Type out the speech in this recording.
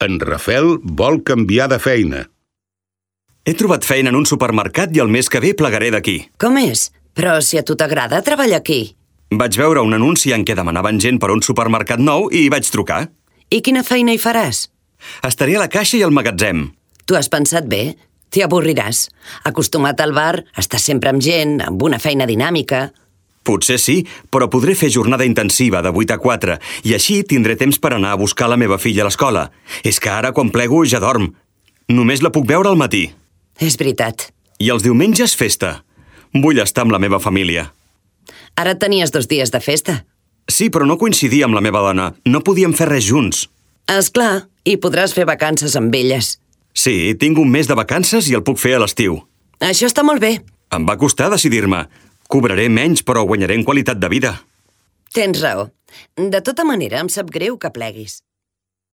En Rafel vol canviar de feina. He trobat feina en un supermercat i el mes que ve plegaré d'aquí. Com és? Però si a tu t'agrada treballar aquí. Vaig veure un anunci en què demanaven gent per a un supermercat nou i hi vaig trucar. I quina feina hi faràs? Estaré a la caixa i al magatzem. Tu has pensat bé? T'hi avorriràs. Acostumat al bar, estàs sempre amb gent, amb una feina dinàmica. Potser sí, però podré fer jornada intensiva de 8 a 4 i així tindré temps per anar a buscar la meva filla a l'escola. És que ara, quan plego, ja dorm. Només la puc veure al matí. És veritat. I els diumenges, festa. Vull estar amb la meva família. Ara tenies 2 dies de festa. Sí, però no coincidia amb la meva dona. No podíem fer res junts. És clar, i podràs fer vacances amb elles. Sí, tinc un mes de vacances i el puc fer a l'estiu. Això està molt bé. Em va costar decidir-me. Cobraré menys, però guanyaré en qualitat de vida. Tens raó. De tota manera, em sap greu que pleguis.